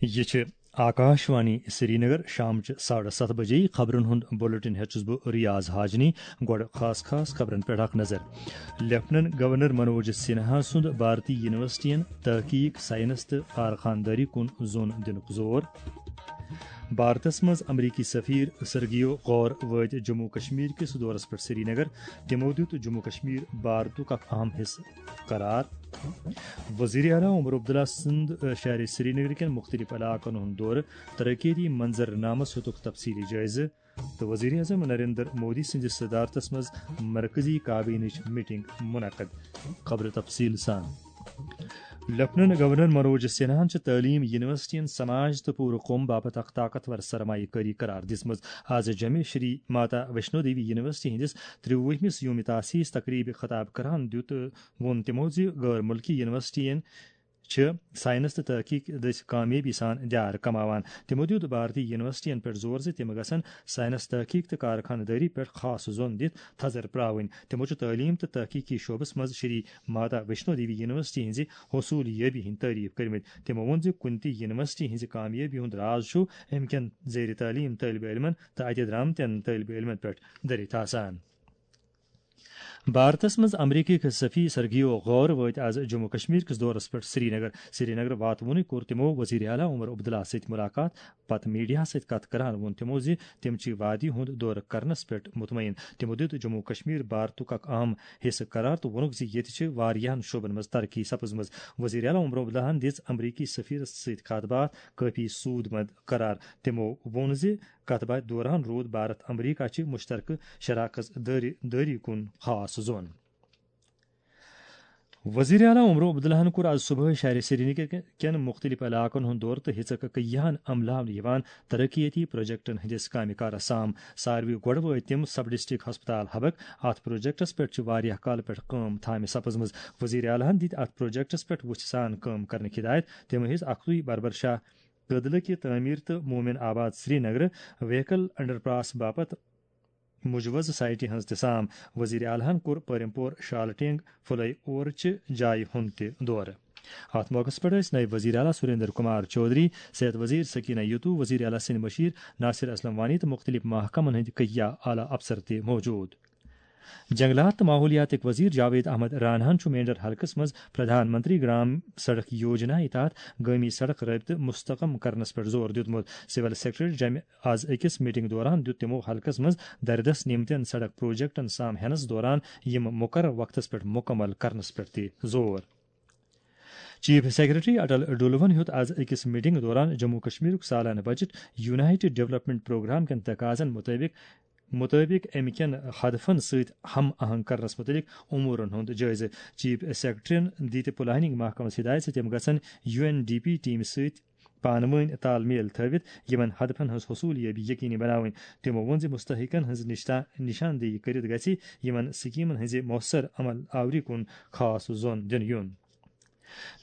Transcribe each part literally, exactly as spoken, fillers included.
یہِ چھِ آکاش وانی سرینگر۔ شامچہِ ساڑٕ ستھ بجے خبرن ہُنٛد بلیٹن ہیٚتھ چھُس بہٕ ریاض حاجنی۔ گۄڈٕ خاص خاص خبرن پٮ۪ٹھ اکھ نظر۔ لیفٹننٹ گورنر منوج سنہا سُنٛد بھارتی یونیورسٹین تحقیق، سائنس تہٕ کارخانداری کُن زوٚن دِنُک زور۔ بھارتس منٛز امریکی سفیر سرگیو غور وٲتۍ جموں کشمیر کِس دورس پٮ۪ٹھ سرینگر۔ تِمو دیُت جموں کشمیر بھارتُک اکھ اہم حصہٕ قرار۔ وزیر اعلیٰ عمر عبداللہ سُنٛد، آ، شہر سرینگر کٮ۪ن مُختٔلِف علاقن ہُنٛد دورٕ، ترقیتی منظرنامس ہیوٚتُکھ تفصیٖلی جٲیزٕ۔ تہٕ وزیر اعظم نریندر مودی سٕنٛدِس صدارتس منٛز مرکزی کابینٕچ میٹنگ منعقد۔ خبرٕ تفصیٖل سان۔ لیفٹننٹ گورنر منوج سنہاہن چھِ تعلیٖم، یونیورسٹین، سماج تہٕ پوٗرٕ قوم باپتھ اکھ طاقتور سرمایہ کٲری قرار دِژمٕژ۔ آز جمعہ شری ماتا ویشنو دیوی یونیورسٹی ہٕنٛدِس ترٛوُہمِس یوم تاسیس تقریبہِ خطاب کران دیُت، ووٚن تِمو زِ غٲر مُلکی یونیورسٹین چھِ سائنس تہٕ تحقیق دٔسۍ کامیٲبی سان دیار کماوان۔ تِمو دیُت بھارتی یونیورسٹین پٮ۪ٹھ زور زِ تِم گژھن سائنس، تحقیق تہٕ کارخانہٕ دٲری پٮ۪ٹھ خاص زوٚن دِتھ تھزر پراوٕنۍ۔ تِمو چھُ تعلیٖم تہٕ تحقیقی شعبس منٛز شری ماتا ویشنو دیوی یونیورسٹی ہٕنٛزِ حصوٗل یٲبی ہٕنٛدۍ تعریف کٔرمٕتۍ۔ تِمو ووٚن زِ کُنہِ تہِ یونیورسٹی ہٕنٛزِ کامیٲبی ہُنٛد راز چھُ اَمہِ کٮ۪ن زیر تعلیٖم طٲلبہِ علمن تہٕ اَتہِ درامتٮ۪ن طٲلبہِ علمن پٮ۪ٹھ دٔرِتھ آسان۔ بھارتس منٛز امریکی سفیر سرگیو غور وٲتۍ آز جموں کشمیر کِس دورس پٮ۪ٹھ سرینگر۔ سرینگر واتوُنٕے کوٚر تِمو وزیر اعلیٰ عمر عبداللہ سۭتۍ ملاقات۔ پتہٕ میڈیاہس سۭتۍ کتھ کران ووٚن تِمو زِ تِم چھِ وادی ہُنٛد دورٕ کرنس پٮ۪ٹھ مطمئن۔ تِمو دیُت جموں کشمیر بھارتُک اکھ اہم حصہٕ قرار تہٕ ووٚنُکھ زِ ییٚتہِ چھِ واریاہن شعبن منٛز ترقی سپٕزمٕژ۔ وزیر اعلیٰ عمر عبداللہن دِژ امریکی سفیرس سۭتۍ کتھ باتھ کٲفی سوٗد مند قرار۔ تِمو ووٚن زِ کتھ باتھِ دوران روٗد بھارت امریکہ چہِ مشترکہٕ شراکت دٲری، دٲری کُن خاص زوٚن۔ وزیر اعلیٰ عمر عبداللہن کوٚر آز صبحٲے شہر سرینگر کٮ۪ن مُختٔلِف علاقن ہُنٛد دورٕ تہٕ ہیٚژٕکھ کیاہن عملاونہٕ یِوان ترقیتی پروجیکٹن ہٕنٛدِس کامہِ کارس سام۔ ساروی گۄڈٕ وٲتۍ تِم سب ڈسٹرکٹ ہسپتال حبک۔ اتھ پروجیکٹس پٮ۪ٹھ چھِ واریاہ کالہٕ پٮ۪ٹھ کٲم تھامہِ سپٕزمٕژ۔ وزیر اعلیٰ ہن دِتۍ اتھ پروجیکٹس پٮ۪ٹھ وُژھِ سان کٲم کرنٕکۍ ہدایت۔ تِم ہیٚژ اکتُے بربر شاہ کدلہٕ کہِ تعمیٖر تہٕ مومن آباد سرینگر وہیکل انڈر پاس باپتھ مجوزٕ سائٹہِ ہٕنٛز تہِ سام۔ وزیر اعلیٰ ہن کوٚر پریم پور، شالٹینگ، فلائی اوور چہِ جایہِ ہُنٛد تہِ دورٕ۔ اتھ موقعس پٮ۪ٹھ ٲسۍ نٲیِب وزیر اعلیٰ سریندر کمار چودھری، صحت وزیر سکینہ یتو، وزیر اعلیٰ سٕنٛدۍ مشیر ناصر اسلم وانی تہٕ مُختٔلِف محکمن ہٕنٛدۍ کیاہ اعلیٰ افسر تہِ موجود۔ جنگلات تہٕ ماحولیاتٕکۍ وزیر جاوید احمد راناہن چھُ مینڈر حلقس منٛز پردھان منتری گرام سڑک یوجنا تحت گٲمی سڑک رٲبطہٕ مستحکم کرنس پٮ۪ٹھ زور دیُتمُت۔ سول سیکرٹریٹ جمہِ آز أکِس میٹنگ دوران دیُت تِمو حلقس منٛز دردس نیمتٮ۪ن سڑک پروجیکٹن سام ہینس دوران یِم مقرر وقتس پٮ۪ٹھ مکمل کرنس پٮ۪ٹھ تہِ زور۔ چیف سیکرٹری اٹل ڈولون ہیوٚت آز أکِس میٹنگ دوران جموں کشمیرُک سالانہٕ بجٹ یونائیٹڈ ڈیولپمنٹ پروگرام کٮ۪ن تقاضن مطٲبق مطٲبق امہِ کٮ۪ن ہدفن سۭتۍ ہم آہنگ کرنس متعلق امورن ہُنٛد جٲیزٕ۔ چیف سیکرٹریَن دِتۍ پلاننگ محکمس ہدایت زِ تِم گژھن یو این ڈی پی ٹیمہِ سۭتۍ پانہٕ وٲنۍ تال میل تھٲوِتھ یِمن ہدفن ہٕنٛز حصوٗلیٲبی یقینی بناوٕنۍ۔ تِمو ووٚن زِ مستحقن ہٕنٛز نشتا-، نشاندہی کٔرِتھ گژھِ یِمن سکیمن ہٕنٛزِ مؤثر عمل آوری کُن خاص زون دِنہٕ یُن۔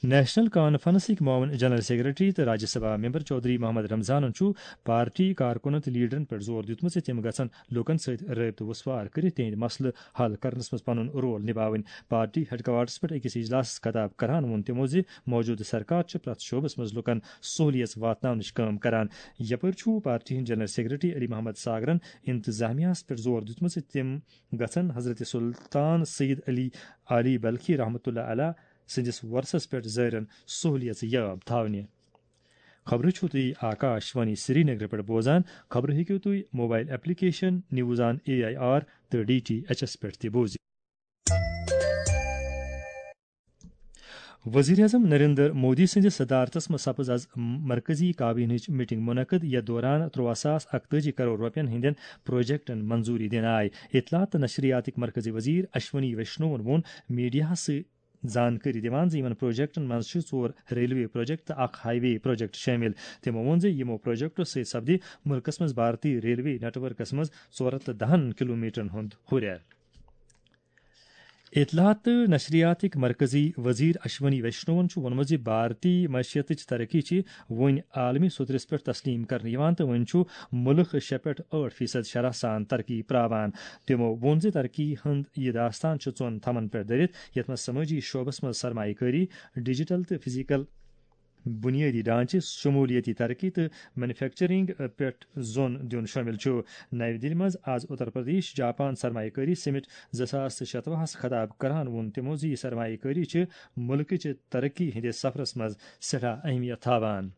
نیشنل کانفرنسٕکۍ معاون جنرل سیکرٹری تہٕ راجیہ سبھا ممبر چودھری محمد رمضانن چھُ پارٹی کارکُنن تہٕ لیڈرن پٮ۪ٹھ زور دیُتمُت زِ تِم گژھن لوٗکن سۭتۍ رٲبطہٕ وُسوار کٔرِتھ تِہنٛدۍ مسلہٕ حل کرنس منٛز پنُن رول نباوٕنۍ۔ پارٹی ہیڈ کوارٹرس پٮ۪ٹھ أکِس اجلاسس خطاب کران ووٚن تِمو زِ موجودٕ سرکار چھِ پرٛٮ۪تھ شعبس منٛز لوٗکن سہولیژ واتناونٕچ کٲم کران۔ یپٲرۍ چھُ پارٹی ہٕنٛدۍ جنرل سیکرٹری علی محمد ساگرن انتظامیہس پٮ۪ٹھ زور دیُتمُت زِ تِم گژھن حضرت سلطان سید علی علی بلخی رحمتہ اللہ علیہ سٕنٛدِس ورثس پٮ۪ٹھ زٲرٮ۪ن سہولیژ یاب تھاونہِ۔ خبرٕ چھِو تُہۍ آکاش وانی سرینگرٕ پٮ۪ٹھ بوزان۔ خبرٕ ہیٚکِو تُہۍ mobile application news on A I R تہٕ ڈی ٹی ایچ ایس پٮ۪ٹھ تہِ بوٗزِتھ۔ وزیر اعظم نریندر مودی سٕنٛدِس صدارتس منٛز سپٕز از مرکزی کابینہٕچ میٹنگ منعقد، یتھ دوران ترٛواہ ساس اکتٲجی کرور رۄپین ہٕنٛدٮ۪ن پروجیکٹن منظوری دِنہٕ آیہِ۔ اطلاعات تہٕ نشریاتٕکۍ مرکزی وزیر اشونی ویشنوَن ووٚن میڈیاہس سۭتۍ زانکٲری دِوان زِ یِمَن پروجیکٹَن منٛز چھِ ژور ریلوے پروجیکٹ تہٕ اکھ ہائی وے پروجیکٹ شٲمِل۔ تِمَو ووٚن زِ یِمَو پروجیکٹَو سۭتۍ سپدِ مُلکَس منٛز بھارتی ریلوے نیٹ ورکَس منٛز ژور ہَتھ تہٕ دَہَن کلومیٹرَن ہُنٛد ہُرٮ۪ر۔ اطلاعات تہٕ نشریاتٕکۍ مرکزی وزیر اشونی ویشنوَن چھُ ووٚنمُت زِ بھارتی معیشتٕچ ترقی چھِ وۄنۍ عالمی سطحس پٮ۪ٹھ تسلیم کرنہٕ یِوان تہٕ وۄنۍ چھُ مُلک شےٚ پٮ۪ٹھ ٲٹھ فیصد شرح سان ترقی پراوان۔ تِمَو ووٚن زِ ترقی ہُنٛد یہِ داستان چھُ ژۄن تھمن پٮ۪ٹھ دٔرِتھ، یَتھ منٛز سمٲجی شعبس منٛز سرمایہ کٲری، ڈیجیٹل تہٕ فزیکل بنیٲدی ڈھانچہٕ، شمولیتی ترقی تہٕ مینوفیکچرنگ پٮ۪ٹھ زون دیُن شٲمِل چھُ۔ نَوِ دِلہِ منٛز آز اتر پردیش جاپان سرمایہ کٲری سمٹ زٕ ساس تہٕ شتوُہس خطاب کران ووٚن تِمو زِ یہِ سرمایہ کٲری چھِ مُلکٕچہِ ترقی ہٕنٛدِس سفرس منٛز سٮ۪ٹھاہ اہمیت تھاوان۔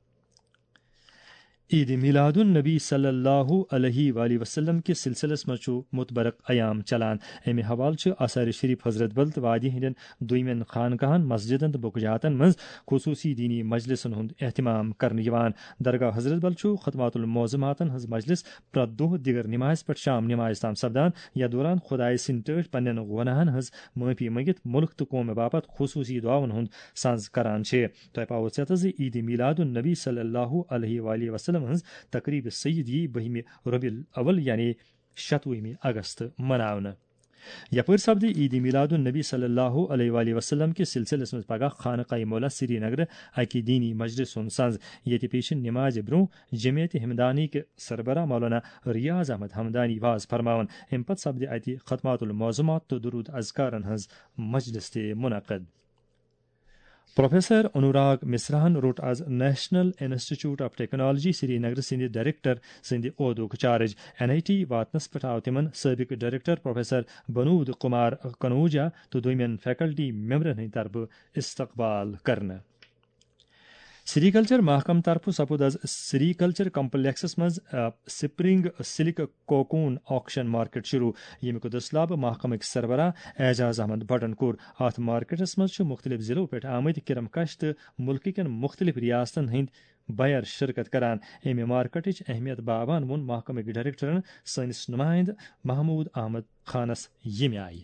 عید میلاد النبی صلی اللہ علیہ وآلہ وسلم کِس سلسلس منٛز چھُ متبرک ایام چلان۔ امہِ حوالہٕ چھِ آثار شریف حضرت بل تہٕ وادی ہٕنٛدٮ۪ن دویمٮ۪ن خانقاہن، مسجدن تہٕ بُکہٕ جاتن منٛز خصوصی دینی مجلسن ہُنٛد اہتمام کرنہٕ یِوان۔ درگاہ حضرت بل چھُ ختمات المعظماتن ہٕنٛز مجلس پرٛٮ۪تھ دۄہ دِگر نمازِ پٮ۪ٹھ شام نمازِ تام سپدان، یتھ دوران خدایہِ سٕنٛدۍ ٹٲٹھۍ پننٮ۪ن گۄناہن ہٕنٛز معٲفی مٔنگِتھ مُلک تہٕ قومہِ باپتھ خصوصی دعاون ہُنٛد سنز کران چھِ۔ تۄہہِ پاوو ژیتس زِ عید میلاد النبی صلی اللہ علیہ وآلہ وسلم ہٕنٛز تقریب سید یی بٔہمہِ ربیع الاول یعنی شتوُہمہِ اگست مناونہٕ۔ یپٲرۍ سپدِ عید میلاد النبی صلی اللہ علیہ وآلہ وسلم کِس سلسلس منٛز پگاہ خانقاہ مولا سری نگر اکہِ دینی مجلس ہُنٛد سنز، ییٚتہِ پیشن نمازِ برونٛہہ جمعیت ہمدانی کہِ سربراہ مولانا ریاض احمد ہمدانی واز فرماون۔ امہِ پتہٕ سپدِ اتہِ ختمات المعظمات تہٕ درود اذکارن ہٕنٛز مجلس تہِ منعقد۔ پروفیسر انوراگ مصراہن روٚٹ is national institute of technology سری نگر سٕنٛدِ ڈائریکٹر سٕنٛدِ عہدُک چارج۔ این آئی ٹی واتنس پٮ۪ٹھ آو تِمن سٲبق ڈائریکٹر پروفیسر بنود کمار کنوجا تہٕ دویمٮ۪ن فیکلٹی ممبرن ہٕنٛدِ طرفہٕ استقبال کرنہٕ۔ سری کلچر محکمہٕ طرفہٕ سپُد از سری کلچر کمپلیکسس منٛز، آ، spring silk cocoon auction market شروع، ییٚمیُک دٔسلابہٕ محکمٕکۍ سربراہ اعجاز احمد بٹن کوٚر۔ اتھ مارکیٹس منٛز چھِ مُختٔلِف ضلعو پٮ۪ٹھ آمٕتۍ کرم کش تہٕ مُلکہٕ کٮ۪ن مُختٔلِف ریاستن ہٕنٛدۍ بائر شرکت کران۔ امہِ مارکیٹٕچ اہمیت باوان ووٚن محکمٕکۍ ڈائریکٹرن سٲنِس نمائندٕ محمود احمد خانس ییٚمہِ آیہِ۔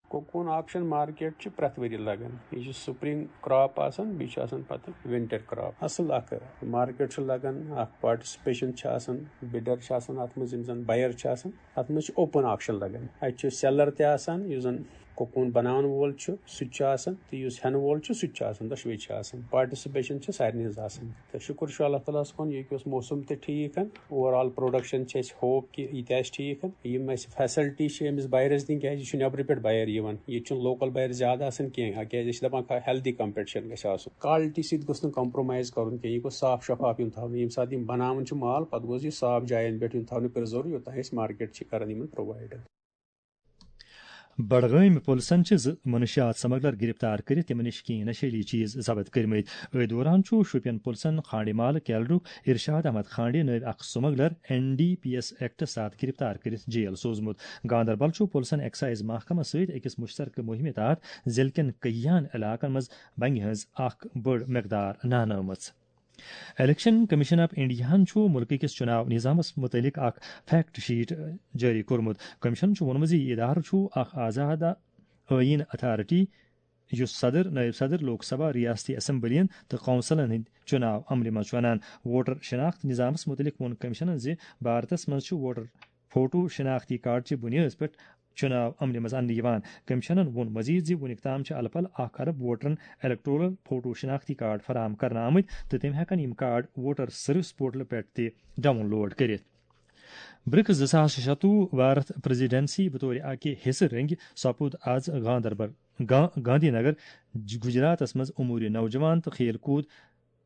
کوکون آکشن مارکیٹ چھِ پرٛٮ۪تھ ؤری لگان۔ یہِ چھِ سپرنگ کراپ آسان، بیٚیہِ چھِ آسان پتہٕ ونٹر کراپ۔ اصل اکھ مارکیٹ چھُ لگان، اکھ پارٹیسپیشن چھِ آسان، بڈر چھِ آسان اتھ منٛز، یِم زن بائر چھِ آسان۔ اتھ منٛز چھِ اوپن آکشن لگان۔ اتہِ چھُ سیلر تہِ آسان، یُس زن کوکون بناون وول چھُ، سُہ تہِ چھُ آسان، تہٕ یُس ہٮ۪نہٕ وول چھُ، سُہ تہِ چھُ آسان، دۄشوے چھِ آسان۔ پارٹیسپیشن چھِ سارنٕے ہٕنٛز آسان۔ تہٕ شُکر چھُ اللہ تعالیٰ ہس کُن، ییٚتہِ اوس موسم تہِ ٹھیٖک۔ اوور آل پروڈکشن چھِ اَسہِ ہوپ کہِ یہِ تہِ آسہِ ٹھیٖک۔ یِم اَسہِ فیسلٹی چھِ أمِس بائرس دِنۍ، کیازِ یہِ چھُ نیبرٕ پٮ۪ٹھ بائر یِوان، ییٚتہِ چھُنہٕ لوکل بائر زیادٕ آسان کینٛہہ، کیازِ أسۍ چھِ دَپان ہیلدی کمپیٹیشن گژھِ آسُن، کالٹی سۭتۍ گوٚژھ نہٕ کمپرومائز کرُن کینٛہہ، یہِ گوٚژھ صاف شفاف یُن تھاونہٕ۔ ییٚمہِ ساتہٕ یِم بناوان چھِ مال، پتہٕ گوٚژھ یہِ صاف جاین پٮ۪ٹھ یُن تھاونہٕ، پرزرو، یوٚتام أسۍ مارکیٹ چھِ کران یِمن پرووائڈ۔ بڈگٲمۍ پُلسن چھِ زٕ منشیات سمگلر گرفتار کٔرِتھ تِمن نِش کینٛہہ نشیلی چیز ضبط کٔرمٕتۍ۔ أتھۍ دوران چھُ شوپین پُلسن کھانڈے محلہٕ کیلرُک ارشاد احمد کھانڈے نٲوۍ اکھ smuggler N D P S ایکٹس تحت گرفتار کٔرِتھ جیل سوزمُت۔ گاندربل چھُ پُلسن ایکسائز محکمس سۭتۍ أکِس مُشترکہٕ مُہِمہِ تحت ضلعہٕ کٮ۪ن کینٛہَن علاقن منٛز بنگہِ ہٕنٛز اکھ بٔڑ مقدار نہنٲومٕژ۔ الیکشن کمیشن آف انڈیاہن چھُ مُلکہٕ کِس چُناو نظامس مُتعلق اکھ فیکٹ شیٹ جٲری کوٚرمُت۔ کمیشن چھُ ووٚنمُت زِ یہِ ادارٕ چھُ اکھ آزاد ٲییٖن اتھارٹی، یُس صدر، نٲیِب صدر، لوک سبھا، ریاستی اسمبلین تہٕ کونسلن ہٕنٛدۍ چُناو عملہِ منٛز چھُ انان۔ ووٹر شناخت نظامس مُتعلق ووٚن کمیشنن زِ بھارتس منٛز چھُ ووٹر فوٹو شناختی کارڈ چہِ بُنیٲدس پٮ۪ٹھ چُناو عملہِ منٛز اننہٕ یِوان۔ کمیشنن ووٚن مزید زِ وُنیُک تام چھِ الہٕ پلہٕ اکھ ارب ووٹرن الیکٹورل فوٹو شناختی کارڈ فراہم کرنہٕ آمٕتۍ تہٕ تِم ہٮ۪کن یِم کارڈ ووٹر سروس پورٹل پٮ۪ٹھ تہِ ڈاؤن لوڈ کٔرِتھ۔ برکس زٕ ساس شتوُہ بھارت پریزیڈنسی بطور اکہِ حصہٕ رنگہِ سپُد از گاندربل، گا-، گاندھی نگر، گجراتس منٛز امور نوجوان تہٕ کھیل کود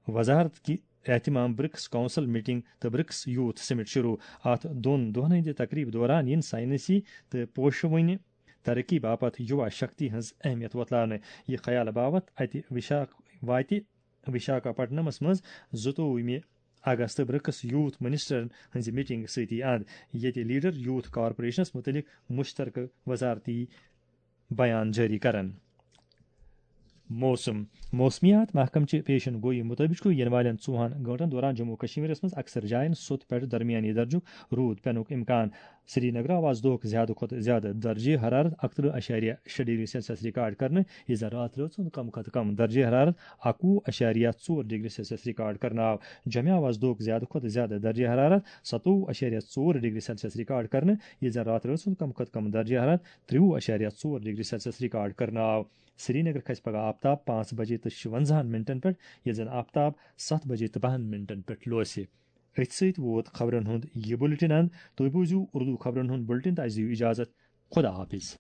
وزارت کہِ اہتمام برکس کونسل میٹنگ تہٕ برکس یوتھ سمٹ شروع۔ اتھ دۄن دۄہن ہٕنٛدِ تقریبہِ دوران یِن سائنسی تہٕ پوشوٕنہِ ترقی باپتھ یووا شکتی ہٕنٛز اہمیت وۄتلاونہٕ۔ یہِ خیال باوتھ اتہِ وشاکھ-، واتہِ وشاکھاپٹنمس منٛز زٕتووُہمہِ اگست برکس یوتھ منسٹرن ہٕنٛزِ میٹنگ سۭتی اند، ییٚتہِ لیڈر یوتھ کارپوریشنس مُتعلق مشترکہٕ وزارتی بیان جٲری کرن۔ موسم۔ موسمیات محکمہٕ چہِ پیشن گویی مُطٲبِق چھُ یِنہٕ والٮ۪ن ژوٚوُہن گٲنٛٹن دوران جموں و کشمیرس منٛز اکثر جاین سوٚت پٮ۪ٹھ درمیانی درجُک روٗد پٮ۪نُک امکان۔ سری نگر آو از دۄہُک زیادٕ کھۄتہٕ زیادٕ درجہ حرارت اکترٕہ اَشاریہ شےٚ ڈگری سیلسیس ریکارڈ کرنہٕ، ییٚلہِ زن راتھ رٲژ ہُنٛد کم کھۄتہٕ کم درجہ حرارت اکوُہ اَشاریہ ژور ڈگری سیلسیس ریکارڈ کرنہٕ آو۔ جمہِ آو از دۄہُک زیادٕ کھۄتہٕ زیادٕ درجہ حرارت ستووُہ اَشاریہ ژور ڈگری سیلسیس ریکارڈ کرنہٕ، ییٚلہِ زن راتھ رٲژ ہُنٛد کم کھۄتہٕ کم درجہ حرارت ترٛوُہ اَشاریہ ژور ڈگری سیلسیس ریکارڈ کرنہٕ آو۔ سرینگر کھسہِ پگاہ آفتاب پانٛژھ بجے تہٕ شُوَنزاہَن منٹن پٮ۪ٹھ، ییٚلہِ زن آفتاب ستھ بجے تہٕ بَہَن منٹن پٮ۪ٹھ لوسہِ۔ أتھۍ سۭتۍ ووت خبرن ہُنٛد یہِ بُلٹن اند۔ تُہۍ بوٗزِو اردو خبرن ہُنٛد بُلٹن تہٕ اَسہِ دِیِو اجازت۔ خدا حافظ۔